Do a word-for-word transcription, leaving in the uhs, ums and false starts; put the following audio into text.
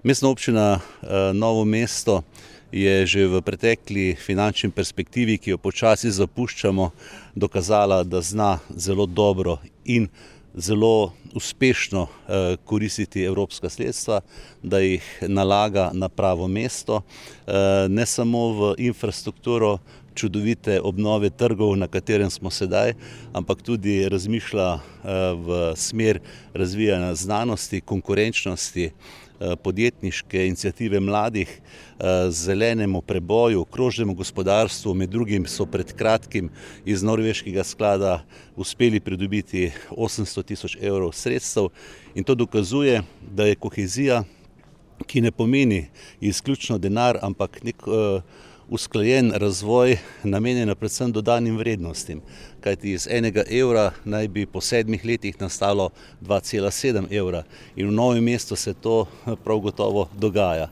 Mestna občina Novo mesto je že v pretekli finančni perspektivi, ki jo počasi zapuščamo, dokazala, da zna zelo dobro in zelo uspešno koristiti evropska sredstva, da jih nalaga na pravo mesto, ne samo v infrastrukturo čudovite obnove trgov, na katerem smo sedaj, ampak tudi razmišlja v smer razvijanja znanosti, konkurenčnosti, podjetniške iniciative mladih, zelenemu preboju, krožnemu gospodarstvu. Med drugim so pred kratkim iz norveškega sklada uspeli pridobiti osemsto tisoč evrov sredstev in to dokazuje, da je kohezija, ki ne pomeni izključno denar, ampak nek usklajen razvoj, namenjena predvsem dodanim vrednostim. Kajti iz enega evra naj bi po sedmih letih nastalo dva cela sedem evra in v Novem mestu se to prav gotovo dogaja.